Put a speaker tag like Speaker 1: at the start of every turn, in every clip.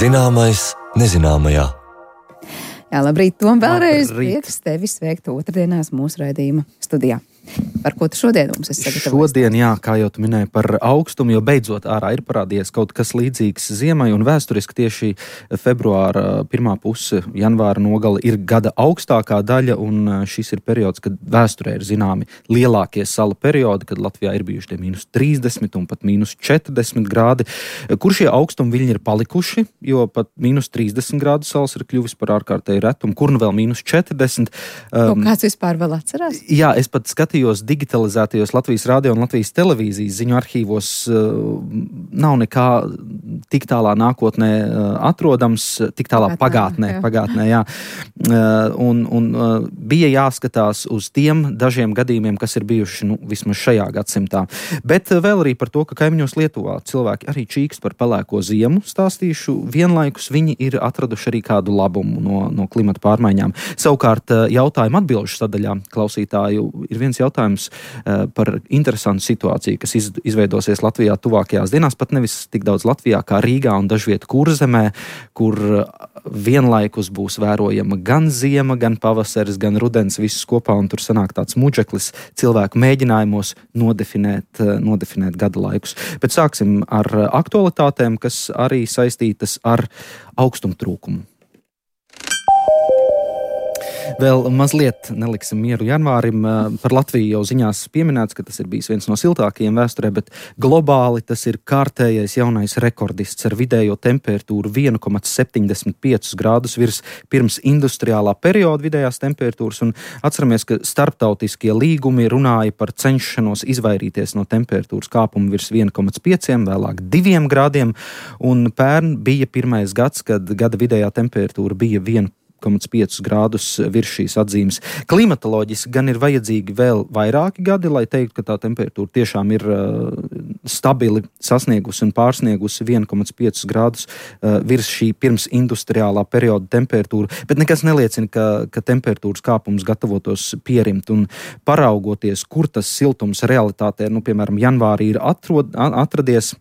Speaker 1: Zināmais nezināmajā.
Speaker 2: Jā, labrīt, Tom, vēlreiz prieks tevi sveikt otrdienās mūsu raidījuma studijā. Par ko tu šodien mums esi sagatavojis?
Speaker 3: Šodien, jā, kā jau tu minēji par augstumu, jo beidzot ārā ir parādījies kaut kas līdzīgs ziemai, un vēsturiski tieši februāra pirmā puse, janvāra nogale ir gada augstākā daļa, un šis ir periods, kad vēsturē ir zināmi lielākie salu periodi, kad Latvijā ir bijuši tie -30 un pat -40 grādi. Kur šie augstumi viļņi ir palikuši, jo pat -30 grādu salas ir kļuvis par ārkārtēju retumu, kur nu vēl -40.
Speaker 2: Ko kāds vispār vēl atcerās?
Speaker 3: Jā, es pat skatījos digitalizētajos Latvijas radio un Latvijas televīzijas ziņu arhīvos, nav nekā tik tālā nākotnē atrodams, tik tālā pagātnē, jā. Un bija jāskatās uz tiem dažiem gadījumiem, kas ir bijuši, vismaz šajā gadsimtā. Bet vēl arī par to, ka kaimiņos Lietuvā cilvēki arī čīkst par pelēko ziemu stāstīšu. Vienlaikus viņi ir atraduši arī kādu labumu no klimata pārmaiņām. Savukārt jautājumu atbilžu sadaļā klausītāju ir viens jautājums par interesantu situāciju, kas izveidosies Latvijā tuvākajās dienās, pat nevis tik daudz Latvijā kā Rīgā un dažviet Kurzemē, kur vienlaikus būs vērojama gan ziema, gan pavasaris, gan rudens, visus kopā, un tur sanāk tāds muģeklis cilvēku mēģinājumos nodefinēt gada laikus. Bet sāksim ar aktualitātēm, kas arī saistītas ar augstumu trūkumu. Vēl mazliet neliksim mieru janvārim. Par Latviju jau ziņās pieminēts, ka tas ir bijis viens no siltākajiem vēsturē, bet globāli tas ir kārtējais jaunais rekordists ar vidējo temperatūru 1,75 grādus virs pirms industriālā perioda vidējās temperatūras. Un atceramies, ka starptautiskie līgumi runāja par cenšanos izvairīties no temperatūras kāpuma virs 1,5, vēlāk 2 grādiem. Un pērn bija pirmais gads, kad gada vidējā temperatūra bija 1,5 grādus virs šīs atzīmes. Klimatoloģiski gan ir vajadzīgi vēl vairāki gadi, lai teiktu, ka tā temperatūra tiešām ir stabili sasniegusi un pārsniegusi 1,5 grādus virs šī pirms industriālā perioda temperatūra, bet nekas neliecina, ka temperatūras kāpums gatavotos pierimt. Un paraugoties, kur tas siltums realitātē, piemēram, janvārī ir atradies,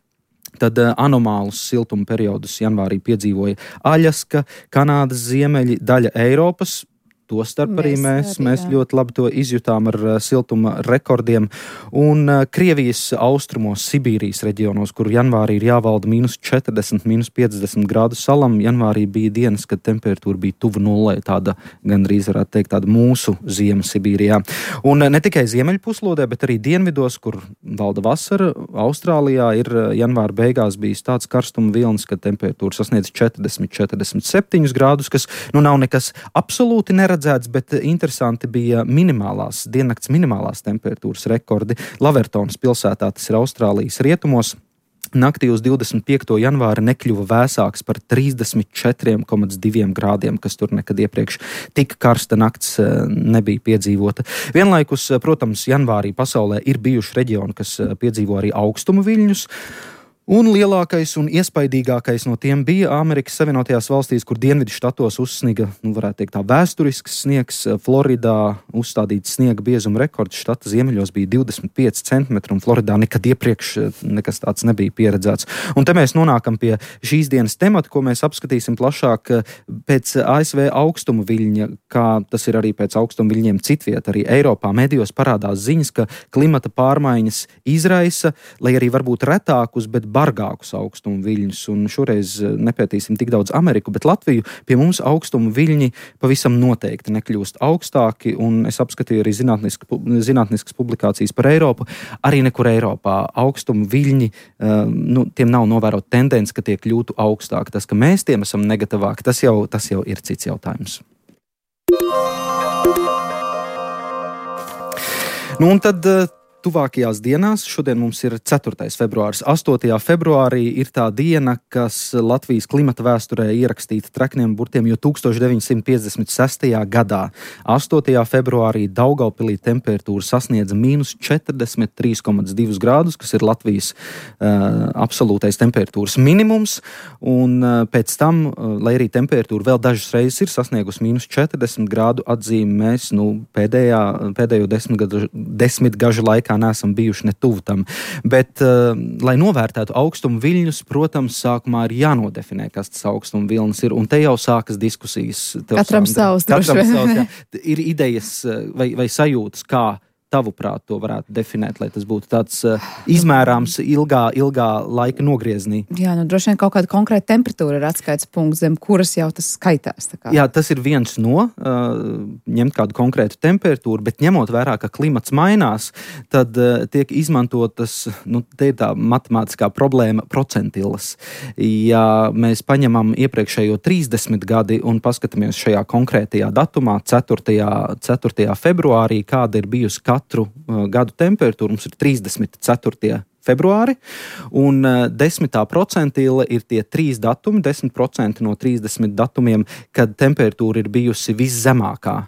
Speaker 3: tad anomālus siltuma periodus janvārī piedzīvoja Aļaska, Kanādas ziemeļi, daļa Eiropas. Tostarp arī mēs ļoti labi to izjutām ar siltuma rekordiem. Un Krievijas austrumos, Sibīrijas reģionos, kur janvārī ir jāvalda -40, -50 grādu salam, janvārī bija dienas, kad temperatūra bija tuvu nullei, tāda gandrīz varētu teikt tāda mūsu ziema Sibīrijā. Un ne tikai ziemeļpuslodē, bet arī dienvidos, kur valda vasara, Austrālijā ir janvāra beigās bijis tāds karstuma vilnis, kad temperatūra sasniedz 40-47 grādus, kas nav nekas absolūti neredzēts, bet interesanti bija diennakts minimālās temperatūras rekordi. Lavertonas pilsētā, tas ir Austrālijas rietumos, naktī uz 25. janvāri nekļuva vēsāks par 34,2 grādiem, kas tur nekad iepriekš tik karsta nakts nebija piedzīvota. Vienlaikus, protams, janvārī pasaulē ir bijuši reģioni, kas piedzīvo arī augstumu viļņus. Un lielākais un iespaidīgākais no tiem bija Amerikas Savienotajās valstīs, kur dienvidu štatos uzsniga, varētu teikt tā, vēsturisks sniegs. Floridā uzstādīts sniega biezuma rekords, štata ziemeļos bija 25 centimetri, un Floridā nekad iepriekš nekas tāds nebija pieredzēts. Un te mēs nonākam pie šīs dienas temata, ko mēs apskatīsim plašāk pēc ASV augstumu viļņa, kā tas ir arī pēc augstumu viļņiem citviet. Arī Eiropā medijos parādās ziņas, ka klimata pārmaiņas izraisa, lai arī varbūt retākus, bet bargākus augstumu viļņus, un šoreiz nepētīsim tik daudz Ameriku, bet Latviju. Pie mums augstumu viļņi pavisam noteikti nekļūst augstāki, un es apskatīju arī zinātniskas publikācijas par Eiropu. Arī nekur Eiropā augstumu viļņi, tiem nav novērot tendence, ka tie kļūtu augstāki. Tas, ka mēs tiem esam negatavāki, tas jau ir cits jautājums. Un tad tuvākajās dienās, šodien mums ir 4. februāris. 8. februārī ir tā diena, kas Latvijas klimata vēsturē ierakstīta trekniem burtiem, jo 1956. gadā 8. februārī Daugavpilī temperatūra sasniedza -43,2 grādus, kas ir Latvijas absolūtais temperatūras minimums, un pēc tam, lai arī temperatūra vēl dažas reizes ir sasniegusi -40 grādu atzīmi, mēs pēdējo desmitgažu laikā laikā neesam bijuši ne tuvu tam. Bet, lai novērtētu augstumu viļņus, protams, sākumā ir jānodefinē, kas tas augstumu vilnis ir, un te jau sākas diskusijas.
Speaker 2: Katram savs,
Speaker 3: ir idejas vai sajūtas, kā tavuprāt to varētu definēt, lai tas būtu tāds izmērāms ilgā laika nogrieznī?
Speaker 2: Jā, droši vien kaut kāda konkrēta temperatūra ir atskaits punkts, zem kuras jau tas skaitās.
Speaker 3: Jā, tas ir viens no ņemt kādu konkrētu temperatūru, bet ņemot vērā, ka klimats mainās, tad tiek izmantotas, te ir tā matemātiskā problēma, procentilas. Ja mēs paņemam iepriekšējo 30 gadi un paskatāmies šajā konkrētajā datumā, 4. februārī, kāda ir bijusi katru gadu temperatūru, mums ir 34. februāri, un 10. procentile ir tie 3 datumi, 10% no 30 datumiem, kad temperatūra ir bijusi viszemākā.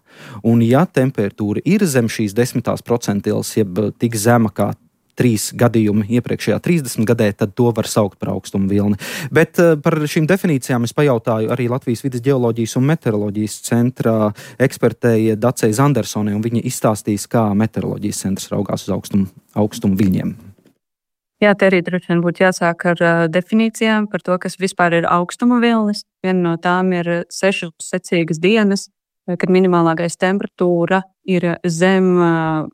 Speaker 3: Un ja temperatūra ir zem šīs 10. procentiles, jeb tik zema kā 3 gadījumi iepriekšējā 30 gadē, tad to var saukt par augstumu vilni. Bet par šīm definīcijām es pajautāju arī Latvijas vides ģeoloģijas un meteoroloģijas centra ekspertei Dacei Zandersonai, un viņa izstāstīs, kā meteoroloģijas centrs raugās uz augstumu viļņiem.
Speaker 4: Jā, te arī droši vien būtu jāsāk ar definīcijām par to, kas vispār ir augstuma vilnis. Viena no tām ir 6 secīgas dienas, kad minimālākais temperatūra ir zem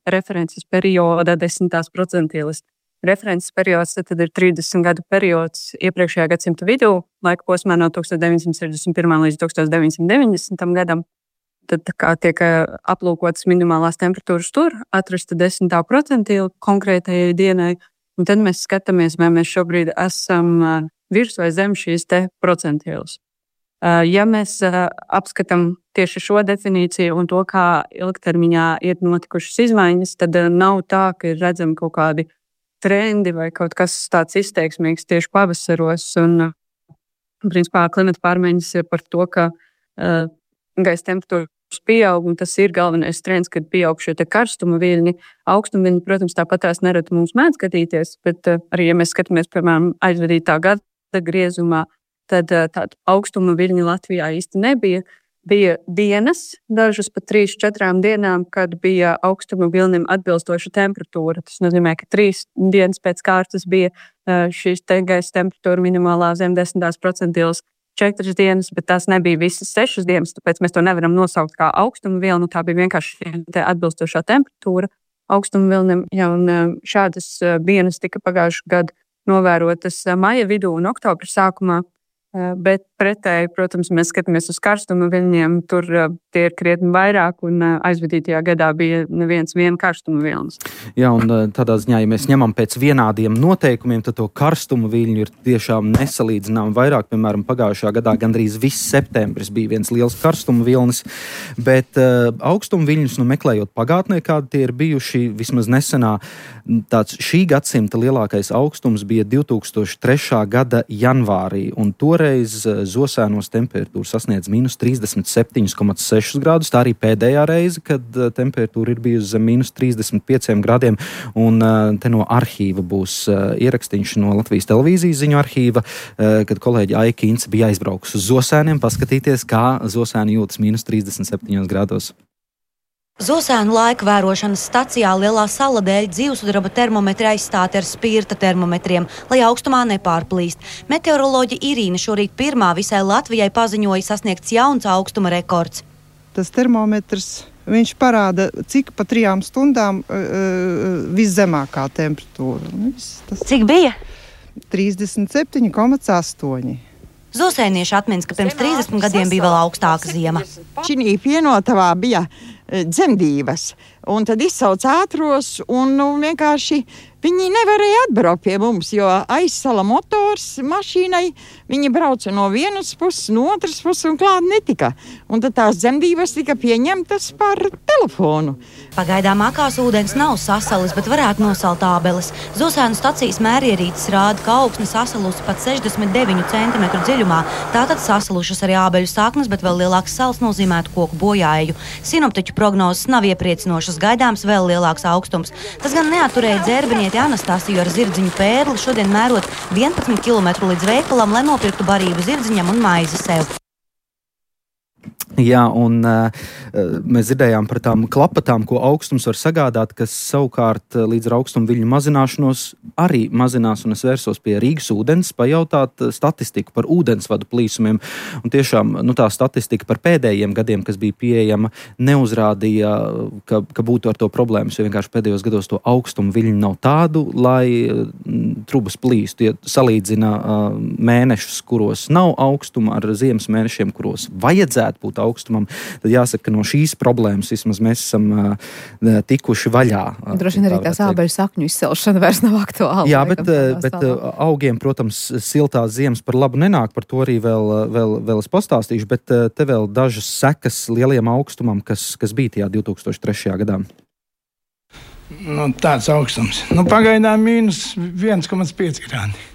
Speaker 4: references perioda 10. procentiles. References periods tad ir 30 gadu periods iepriekšējā gadsimta vidū, laika posmā no 1961. līdz 1990. gadam. Tad kā tiek aplūkotas minimālās temperatūras tur, atrasta 10. procentile konkrētajai dienai, un tad mēs skatāmies, vai mēs šobrīd esam virs vai zem šīs te procentiles. Ja mēs apskatām tieši šo definīciju un to, kā ilgtermiņā ir notikušas izmaiņas, tad nav tā, ka ir redzami kaut kādi trendi vai kaut kas tāds izteiksmīgs tieši pavasaros. Un, principā, klimata pārmaiņas ir par to, ka gaisa temperatūras pieaug, un tas ir galvenais trends, kad pieaug šie karstuma viļņi. Augstuma viļņi, protams, tāpat tās nereti mums mēdz skatīties, bet arī, ja mēs skatāmies, piemēram, aizvadītā gada griezumā, tad tādu augstuma viļņu Latvijā īsti nebija. Bija dienas, dažas pat 3-4 dienām, kad bija augstuma viļņiem atbilstoša temperatūra. Tas nozīmē, ka 3 dienas pēc kārtas bija šīs gaisa temperatūra minimālā zem 10. procentiles 4 dienas, bet tās nebija visas 6 dienas, tāpēc mēs to nevaram nosaukt kā augstuma viļņu. Tā bija vienkārši atbilstošā temperatūra augstuma viļņiem. Ja, un šādas dienas tika pagājušajā gadā novērotas maija vidū un oktobra sākumā. Bet pretēji, protams, mēs skatāmies uz karstuma viļņiem, tur tie ir krietni vairāk, un aizvadītajā gadā bija neviens karstuma vilnis.
Speaker 3: Jā, un tādā ziņā, ja mēs ņemam pēc vienādiem noteikumiem, tad to karstuma viļņu ir tiešām nesalīdzinām vairāk. Piemēram, pagājušajā gadā gandrīz viss septembris bija viens liels karstuma vilnis, bet augstuma viļņus, meklējot pagātnē, kādi tie ir bijuši, vismaz nesenā, tāds šī gadsimta lielākais augstums bija 2003. gada janvārī, un toreiz Zosēnos temperatūra sasniedz minus 37,6 grādus. Tā arī pēdējā reize, kad temperatūra ir bijusi zem minus 35 grādiem, un te no arhīva būs ierakstīns no Latvijas televīzijas ziņu arhīva, kad kolēģi Aija Kīnce bija aizbraukusi uz Zosēniem paskatīties, kā Zosēni jūtas minus 37 grādos.
Speaker 5: Zosēnu laika vērošanas stacijā Lielā sala dēļ dzīvsudraba termometri aizstāti ar spirta termometriem, lai augstumā nepārplīst. Meteoroloģe Irīna šorīt pirmā visai Latvijai paziņoja sasniegts jauns augstuma rekords.
Speaker 6: Tas termometrs, viņš parāda, cik pa 3 stundām viszemākā temperatūra.
Speaker 5: Cik bija?
Speaker 6: 37,8.
Speaker 5: Zosēnieši atminas, ka pirms 30 gadiem bija vēl augstāka ziema.
Speaker 7: Šī pienotavā bija dzemdības, un tad izsauc ātros, un vienkārši viņi nevarēja atbraukt pie mums, jo aizsala motors mašīnai, viņi brauca no vienas puses, no otras puses un klāt netika. Un tad tās dzemdības tika pieņemtas par telefonu.
Speaker 5: Pagaidām akās ūdens nav sasalis, bet varētu nosalt ābeles. Zosēnu stacijas mērierīces rāda, ka augsne sasalusi pat 69 cm dziļumā. Tātad sasalušas arī ābeļu saknes, bet vēl lielāks sals nozīmētu koku bojāju. Sinoptiķu prognozes nav iepriecinošas, gaidāms vēl lielāks augstums. Tas gan neatturēja dzērbinieti Anastasiju ar zirdziņu pērli, šodien mērot 11 km līdz veikalam, lai nopirktu barību zirdziņam un maizi sev.
Speaker 3: Jā, un mēs dzirdējām par tām klapatām, ko augstums var sagādāt, kas savukārt līdz ar augstumu viļņu mazināšanos arī mazinās, un es vērsos pie Rīgas ūdens pajautāt statistiku par ūdensvadu plīsumiem, un tiešām tā statistika par pēdējiem gadiem, kas bija pieejama, neuzrādīja, ka būtu ar to problēmas, jo vienkārši pēdējos gados to augstumu viļņu nav tādu, lai trubas plīstu. Ja salīdzina mēnešus, kuros nav augstuma ar ziemas mēnešiem, kuros vajadzētu būt augstumam, tad jāsaka, ka no šīs problēmas vismaz mēs esam tikuši vaļā.
Speaker 2: Droši vien arī tās ābeļu sakņu izcelšana vairs nav aktuāla.
Speaker 3: Jā, bet augiem, protams, siltās ziemas par labu nenāk, par to arī vēl es pastāstīšu, bet te vēl dažas sekas lielajam augstumam, kas bija tajā 2003. gadā.
Speaker 8: Tāds augstums. Pagaidām mīnus 1,5 grādi.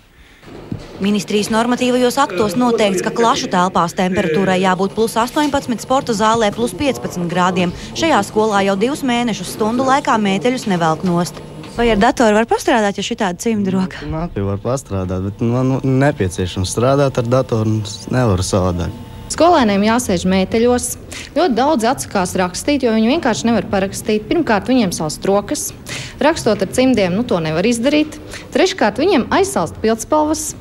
Speaker 5: Ministrijas normatīvajos aktos noteikts, ka klašu telpās temperatūrai jābūt plus 18, sporta zālē plus 15 grādiem. Šajā skolā jau 2 mēnešus stundu laikā mēteļus nevelk nost. Vai ar datoru var pastrādāt, ja šitāda cimda roka?
Speaker 9: Var pastrādāt, bet man nepieciešams strādāt ar datoru, nevaru savādāk.
Speaker 10: Skolēniem jāsēž mēteļos. Ļoti daudz atsakās rakstīt, jo viņi vienkārši nevar parakstīt. Pirmkārt, viņiem salst rokas. Rakstot ar cimdiem, to nevar izdarīt. Treškārt, viņiem aizsalst pildspalvas.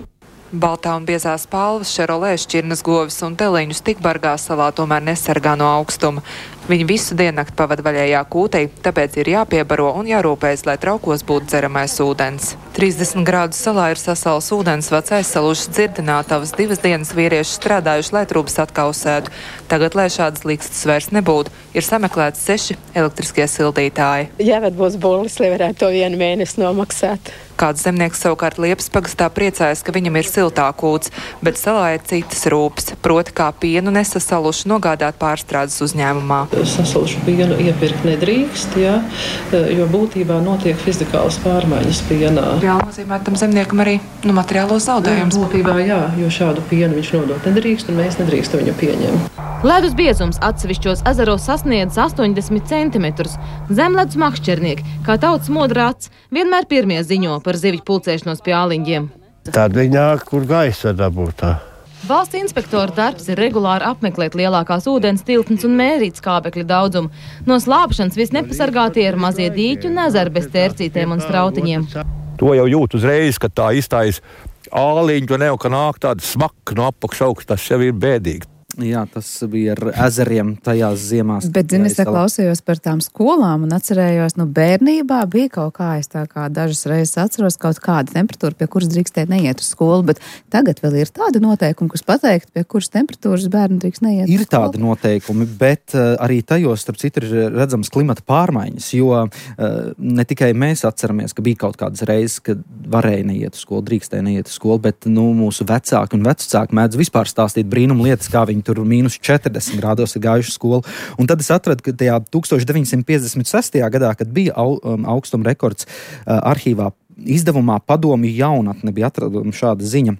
Speaker 11: Baltā un biezā spalvas, šerolē, šķirnes govis un teliņus tik bargā salā tomēr nesargā no augstuma. Viņi visu diennakti pavada vaļējā kūtī, tāpēc ir jāpiebaro un jārūpējas, lai traukos būtu dzeramais ūdens. 30 grādus salā ir sasals ūdensvads, aizsalušas dzirdinātavas, 2 dienas vīrieši strādājuši, lai trūbas atkausētu. Tagad, lai šādas likstas vairs nebūtu, ir sameklēts 6 elektriskie sildītāji.
Speaker 12: Jāved būs bullis, lai varētu to 1 mēnesi nomaksāt.
Speaker 11: Kāds zemnieks savukārt Liepas pagastā priecājas, ka viņam ir siltā kūts, bet salā ir citas rūpes, proti kā pienu nesasaluši nogādāt pārstrādes uzņēmumā.
Speaker 13: Sasalušu pienu iepirkt nedrīkst, jo būtībā notiek fizikālas pārmaiņas pienā.
Speaker 11: Jā, nozīmē tam zemniekam arī materiālos zaudējumus.
Speaker 13: Būtībā jā, jo šādu pienu viņš nodot nedrīkst, un mēs nedrīkstam viņu pieņemt.
Speaker 14: Ledus biezums atsevišķos ezeros sasniedz 80 centimetrus. Zemledus makšķernieki, kā tautas modrāts, vienmēr pirmie ziņo par zivju pulcēšanos pie āliņģiem.
Speaker 15: Tad viņi nāk, kur gaisa dabūtā.
Speaker 14: Valsts inspektora darbs ir regulāri apmeklēt lielākās ūdens tiltnes un mērīt skābekļa daudzumu. No slāpšanas visnepasargātie ir mazie dīķi un ezeri bez tērcītēm un strautiņiem.
Speaker 16: To jau jūt uzreiz, kad tā izstājas āliņu, to ka nāk tāda smaka no apakšaugsta, tas jau ir bēdīgi.
Speaker 3: Jā, tas bija ar ezeriem tajās ziemās.
Speaker 2: Bet, zini, es klausījos par tām skolām un atcerējos, bērnībā bija kaut kā, es tā kā dažas reizes atceros kaut kāda temperatūra, pie kuras drīkstēt neiet uz skolu, bet tagad vēl ir tāda noteikuma, kas pateikt, pie kuras temperatūras bērni drīkst neiet uz skolu.
Speaker 3: Ir tādi noteikumi, bet arī tajos, starp citu, ir redzams klimata pārmaiņas, jo ne tikai mēs atceramies, ka bija kaut kādas reizes, kad varēja neiet uz skolu, drīkstēja neiet uz skolu, bet mūsu vecāki un vecāki mēdz vispār stāstīt brīnumu lietas, kā viņi tur mīnus 40 grādos ir gājuši skolu. Un tad es atradu, ka tajā 1956. gadā, kad bija augstuma rekords arhīvā izdevumā Padomju jaunatne, bija atradama šāda ziņa.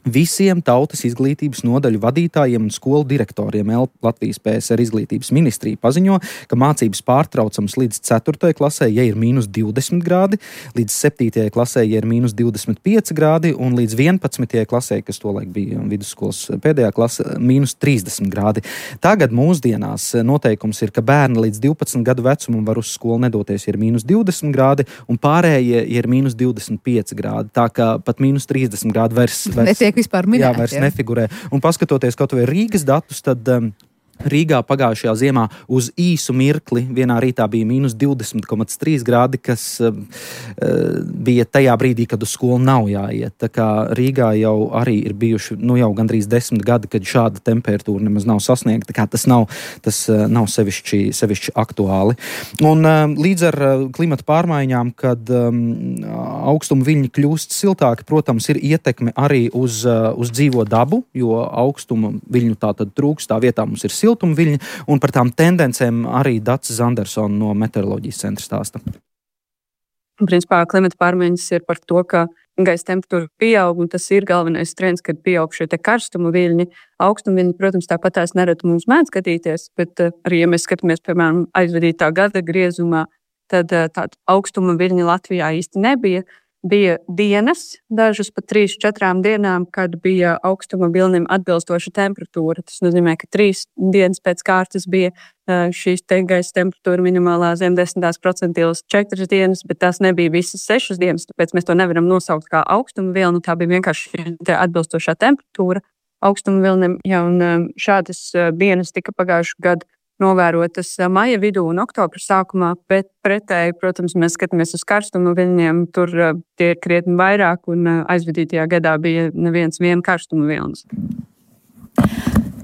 Speaker 3: Visiem tautas izglītības nodaļu vadītājiem un skolu direktoriem Latvijas PSR izglītības ministrija paziņo, ka mācības pārtraucams līdz 4. klasē, ja ir mīnus 20 grādi, līdz 7. klasē, ja ir mīnus 25 grādi, un līdz 11. klasē, kas tolaik bija vidusskolas pēdējā klase, mīnus 30 grādi. Tagad mūsdienās noteikums ir, ka bērni līdz 12 gadu vecumam var uz skolu nedoties, ja ir mīnus 20 grādi, un pārējie, ja ir mīnus 25 grādi. Tā kā pat mīnus 30 grādi vairs
Speaker 2: vispār minēt,
Speaker 3: vairs nefigurē. Un paskatoties kaut vai Rīgas datus, tad Rīgā pagājušajā ziemā uz īsu mirkli vienā rītā bija mīnus 20,3 grādi, kas bija tajā brīdī, kad uz skolu nav jāiet. Tā kā Rīgā jau arī ir bijuši jau gandrīz 10 gadi, kad šāda temperatūra nemaz nav sasniegta. Tā kā tas nav sevišķi aktuāli. Un līdz ar klimata pārmaiņām, kad augstuma viļņi kļūst siltāki, protams, ir ietekme arī uz dzīvo dabu, jo augstuma viļņu tātad trūks, tā vietā mums ir siltāki. Viļņi, un par tām tendencēm arī Dacis Zandersona no meteoroloģijas centra stāsta.
Speaker 4: Principā klimata pārmaiņas ir par to, ka gaisa temperatūra pieaug, un tas ir galvenais trends, kad pieaug šie karstuma viļņi. Augstuma viļņi, protams, tāpat tās nereti mums mēdz skatīties, bet arī, ja mēs skatāmies, piemēram, aizvadītā gada griezumā, tad tāda augstuma viļņi Latvijā īsti nebija. Bija dienas, dažas pat 3-4 dienām, kad bija augstuma vilnim atbilstoša temperatūra. Tas nozīmē, ka 3 dienas pēc kārtas bija šīs gaisa temperatūra minimālā zem 10% 4 dienas, bet tās nebija visas 6 dienas, tāpēc mēs to nevaram nosaukt kā augstuma vilni. Tā bija vienkārši atbilstošā temperatūra augstuma vilnim. Ja, un šādas dienas tika pagājušajā gadā novērotas maija vidū un oktobra sākumā, bet pretēji, protams, mēs skatāmies uz karstuma viļņiem, tur tie ir krietni vairāk, un aizvadītajā gadā bija neviens karstuma vilnis.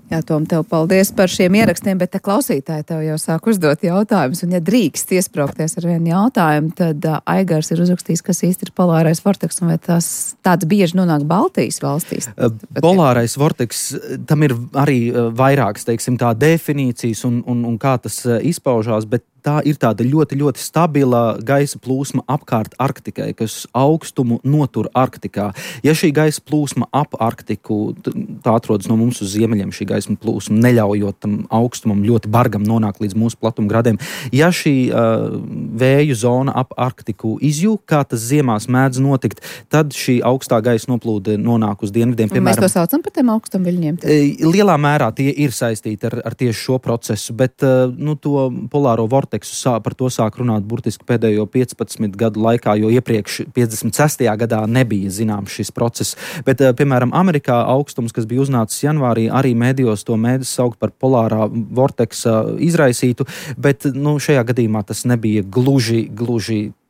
Speaker 2: Jā, Tom, tev paldies par šiem ierakstiem, bet te klausītāji tev jau sāk uzdot jautājumus, un ja drīkst iespraukties ar vienu jautājumu, tad Aigars ir uzrakstījis, kas īsti ir polārais vorteks, un vai tas tāds bieži nonāk Baltijas valstīs?
Speaker 3: Polārais vorteks, tam ir arī vairākas, teiksim, tā definīcijas un kā tas izpaužās, bet tā ir tāda ļoti, ļoti stabila gaisa plūsma apkārt Arktikai, kas augstumu notur Arktikā. Ja šī gaisa plūsma ap Arktiku, tā atrodas no mums uz ziemeļiem, šī gaisa plūsma, neļaujot tam augstumam ļoti bargam nonākt līdz mūsu platumgradiem. Ja šī vēju zona ap Arktiku izjūg, kā tas ziemās mēdz notikt, tad šī augstā gaisa noplūde nonāk uz dienvidiem.
Speaker 2: Mēs to saucam par tiem augstumviļņiem?
Speaker 3: Lielā mērā tie ir saistīti ar tieši šo procesu, bet to polāro vorteksu par to sāk runāt burtiski pēdējo 15 gadu laikā, jo iepriekš 56. gadā nebija zināms šis process. Bet, piemēram, Amerikā augstums, kas bija uznācis janvārī, arī mēdījos to mēdz saukt par polārā vorteksa izraisītu, bet šajā gadījumā tas nebija gluži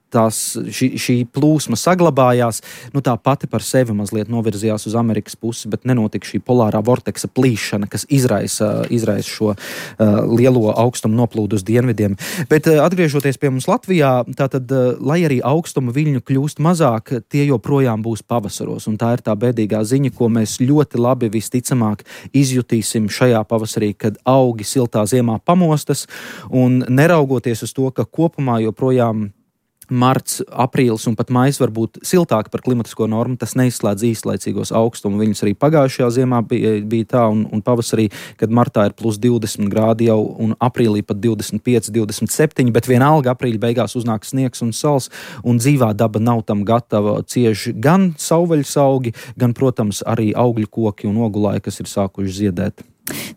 Speaker 3: šī plūsma saglabājās, tā pati par sevi mazliet novirzījās uz Amerikas pusi, bet nenotika šī polārā vorteksa plīšana, kas izraisa šo lielo augstumu noplūdu uz dienvidiem. Bet atgriežoties pie mums Latvijā, tātad, lai arī augstuma viļņu kļūst mazāk, tie joprojām būs pavasaros, un tā ir tā bēdīgā ziņa, ko mēs ļoti labi visticamāk izjutīsim šajā pavasarī, kad augi siltā ziemā pamostas, un neraugoties uz to, ka kopumā joprojām marts, aprīlis un pat maijs var būt siltāki par klimatisko normu, tas neizslēdz īslaicīgos augstumu viļņus. Arī pagājušajā ziemā bija tā, un pavasarī, kad martā ir plus 20 grādi jau, un aprīlī pat 25, 27, bet vienalga aprīļa beigās uznāk sniegs un sals, un dzīvā daba nav tam gatava. Cieš gan savvaļas augi, gan, protams, arī augļu koki un ogulāji, kas ir sākuši ziedēt.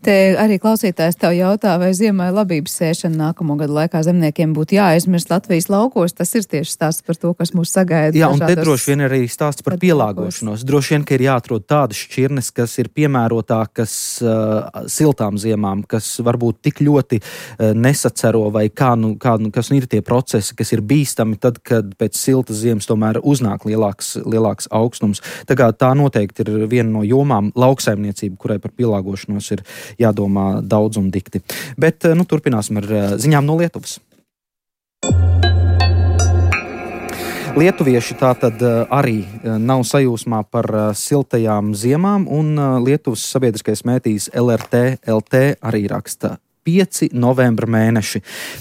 Speaker 2: Te arī klausītājs tev jautā, vai ziemai labības sēšana nākamo gadu laikā zemniekiem būtu jāaizmirst Latvijas laukos. Tas ir tieši stāsts par to, kas mūs sagaida.
Speaker 3: Jā, un te droši vien arī stāsts par pielāgošanos. Droši vien, ka ir jāatrod tādas šķirnes, kas ir piemērotākas siltām ziemām, kas varbūt tik ļoti nesacero, vai kas ir tie procesi, kas ir bīstami tad, kad pēc siltas ziemas tomēr uznāk lielāks augstums. Tā noteikti ir viena no jomām lauksaimniecība, kurai par pielāgošanos ir jādomā daudz un dikti. Bet turpināsim ar ziņām no Lietuvas. Lietuvieši tātad arī nav sajūsmā par siltajām ziemām, un Lietuvas sabiedriskais mētījis LRT LT arī raksta 5 novembra mēneši.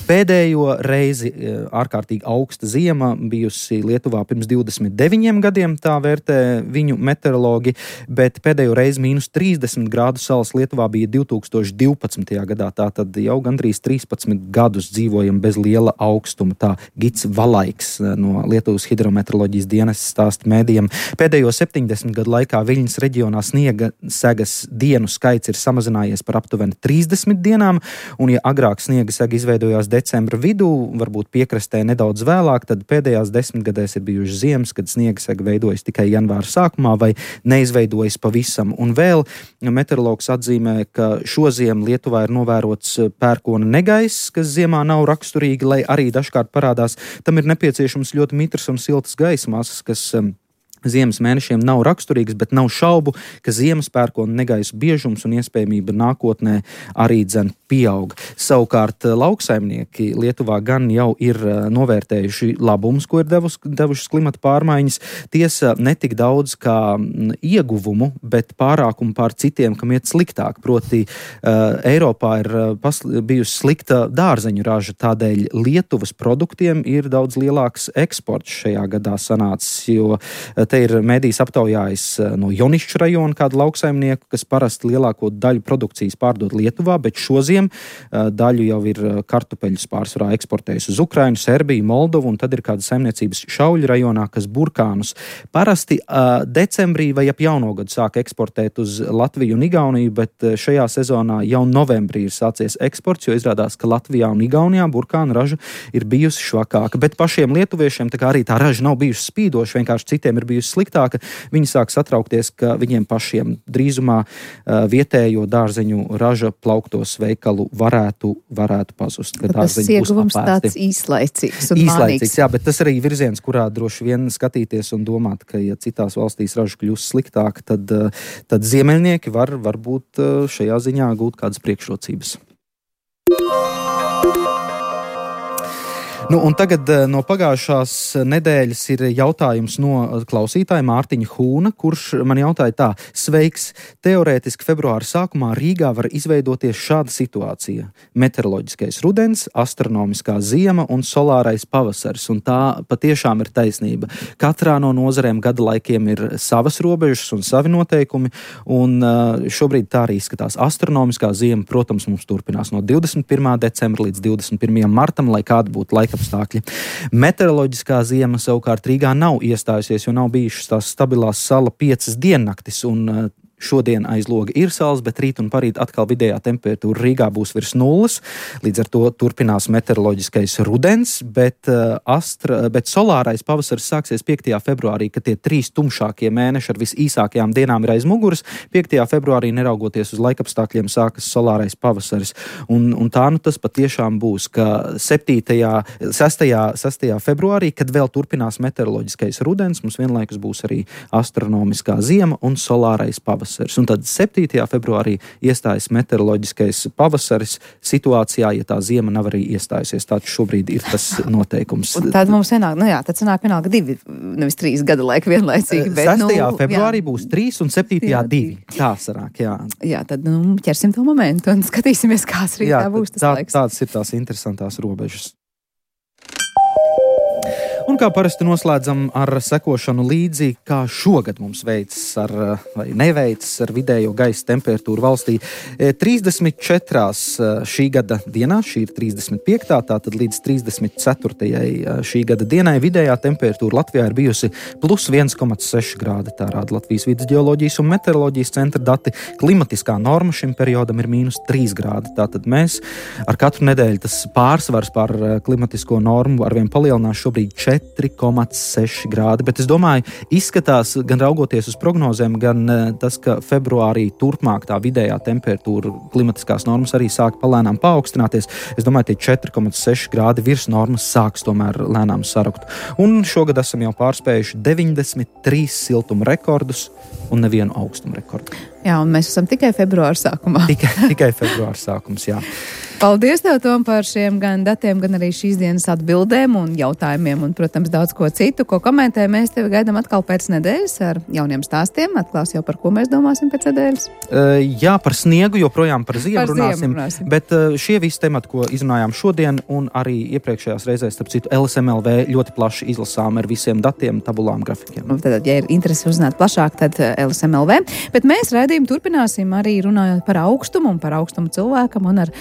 Speaker 3: Pēdējo reizi ārkārtīgi augsta ziema bijusi Lietuvā pirms 29 gadiem, tā vērtē viņu meteorologi, bet pēdējo reizi mīnus 30 grādu salas Lietuvā bija 2012. gadā. Tātad jau gandrīz 13 gadus dzīvojam bez liela augstuma. Tā Gits Valaiks no Lietuvas hidrometeoroloģijas dienas stāsta mēdījiem. Pēdējo 70 gadu laikā Viļņas reģionā sniega segas dienu skaits ir samazinājies par aptuveni 30 dienām. Un, ja agrāk sniega sega izveidojās decembra vidū, varbūt piekrastē nedaudz vēlāk, tad pēdējās 10 gadēs ir bijuši ziemas, kad sniega sega veidojas tikai janvāra sākumā vai neizveidojas pavisam. Un vēl meteorologs atzīmē, ka šoziem Lietuvā ir novērots pērkona negaiss, kas ziemā nav raksturīgi, lai arī dažkārt parādās. Tam ir nepieciešams ļoti mitras un siltas gaisa masas, kas ziemas mēnešiem nav raksturīgs, bet nav šaubu, ka ziemas pērkona negaisu biežums un iespējamība nākotnē arī dzen pieaug. Savukārt lauksaimnieki Lietuvā gan jau ir novērtējuši labumus, ko ir devušas klimata pārmaiņas. Tiesa netik daudz kā ieguvumu, bet pārākumu pār citiem, kam iet sliktāk. Proti Eiropā ir bijusi slikta dārzeņu raža, tādēļ Lietuvas produktiem ir daudz lielāks eksports šajā gadā sanācis, jo Te ir mēdījis aptaujājis no Jonišķu rajona kādu lauksaimnieku, kas parasti lielāko daļu produkcijas pārdod Lietuvā, bet šoziem daļu jau ir kartupeļus pārsvarā eksportējusi uz Ukrainu, Serbiju, Moldovu, un tad ir kāda saimniecības Šauļu rajonā, kas burkānus parasti decembrī vai ap jauno gadu sāk eksportēt uz Latviju un Igauniju, bet šajā sezonā jau novembrī ir sācies eksports, jo izrādās, ka Latvijā un Igaunijā burkānu raža ir bijusi švakāka. Bet pašiem lietuviešiem tā kā arī tā raža nav bijusi spīdoša, vienkārši citiem ir bijusi sliktāka. Viņi sāk satraukties, ka viņiem pašiem drīzumā vietējo dārzeņu raža plauktos veikalu varētu pazust.
Speaker 2: Tas ieguvums tāds īslaicīgs un
Speaker 3: mānīgs. Jā, bet tas arī virziens, kurā droši vien skatīties un domāt, ka ja citās valstīs raža kļūst sliktāka, tad ziemeļnieki var būt šajā ziņā gūt kādas priekšrocības. Un tagad no pagājušās nedēļas ir jautājums no klausītāja Mārtiņa Hūna, kurš man jautāja tā: sveiks, teorētiski februāra sākumā Rīgā var izveidoties šāda situācija. Meteoroloģiskais rudens, astronomiskā ziema un solārais pavasaris, un tā patiešām ir taisnība. Katrā no nozarēm gada laikiem ir savas robežas un savi noteikumi, un šobrīd tā arī izskatās. Astronomiskā ziema, protams, mums turpinās no 21. decembra līdz 21. martam, lai kāda būtu laika apstākļi. Meteoroloģiskā ziema savukārt Rīgā nav iestājusies, jo nav bijušas tās stabilās sala 5 diennaktis, un šodien aiz loga ir saules, bet rīt un parīt atkal vidējā temperatūra Rīgā būs virs nulles, līdz ar to turpinās meteoroloģiskais rudens, bet solārais pavasaris sāksies 5. februārī, kad tie 3 tumšākie mēneši ar visīsākajām dienām ir aiz muguras. 5. februārī, neraugoties uz laikapstākļiem, sākas solārais pavasaris. Un tā tas patiešām būs, ka 6. februārī, kad vēl turpinās meteoroloģiskais rudens, mums vienlaikus būs arī astronomiskā ziema un solārais pavasaris. Un tad 7. februārī iestājas meteoroloģiskais pavasaris situācijā, ja tā ziema nav arī iestājusies. Tāds šobrīd ir tas noteikums.
Speaker 2: Tad mums tad sanāk vienalga 2, nevis 3 gada laika vienlaicīgi.
Speaker 3: 6. februārī būs 3 un 7. 2. Tā sanāk, jā.
Speaker 2: Jā, tad ķersim to momentu un skatīsimies, kāds rītā būs tas laiks.
Speaker 3: Tādas ir tās interesantās robežas. Un kā parasti noslēdzam ar sekošanu līdzi, kā šogad mums veicas vai neveicas ar vidējo gaisa temperatūru valstī. 34 šī gada dienā, šī ir 35. tātad līdz 34. šī gada dienai vidējā temperatūra Latvijā ir bijusi plus 1,6 grādi. Tā rāda Latvijas vidas ģeoloģijas un meteoroloģijas centra dati. Klimatiskā norma šim periodam ir mīnus 3 grādi. Tātad mēs ar katru nedēļu tas pārsvars par klimatisko normu arvien palielinās, šobrīd 4,6 grādi, bet es domāju, izskatās gan raugoties uz prognozēm, gan tas, ka februārī turpmāk tā vidējā temperatūra klimatiskās normas arī sāk palēnām paaugstināties. Es domāju, tie 4,6 grādi virs normas sāks tomēr lēnām sarukt. Un šogad esam jau pārspējuši 93 siltuma rekordus un nevienu augstuma rekordu.
Speaker 2: Jā, un mēs esam tikai februāra sākumā.
Speaker 3: Tikai februāra sākums, jā.
Speaker 2: Paldies tev, Tom, par šiem gan datiem, gan arī šīs dienas atbildēm un jautājumiem un, protams, daudz ko citu, ko komentē. Mēs tevi gaidām atkal pēc nedēļas ar jauniem stāstiem. Atklās jau, par ko mēs domāsim pēc nedēļas.
Speaker 3: Jā, par sniegu, joprojām par ziemu runāsim. Bet šie visi temati, ko izrunājām šodien un arī iepriekšējās reizēs, starp citu, LSMLV ļoti plaši izlasām ar visiem datiem, tabulām, grafikiem.
Speaker 2: Tad, ja ir interesi uzzināt plašāk, tad LSMLV. Bet mēs raidījumu turpināsim arī runājot par augstumu un par augstumu cilvēkam un ar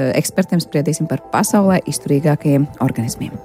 Speaker 2: ekspertiem spriedīsim par pasaulē izturīgākajiem organismiem.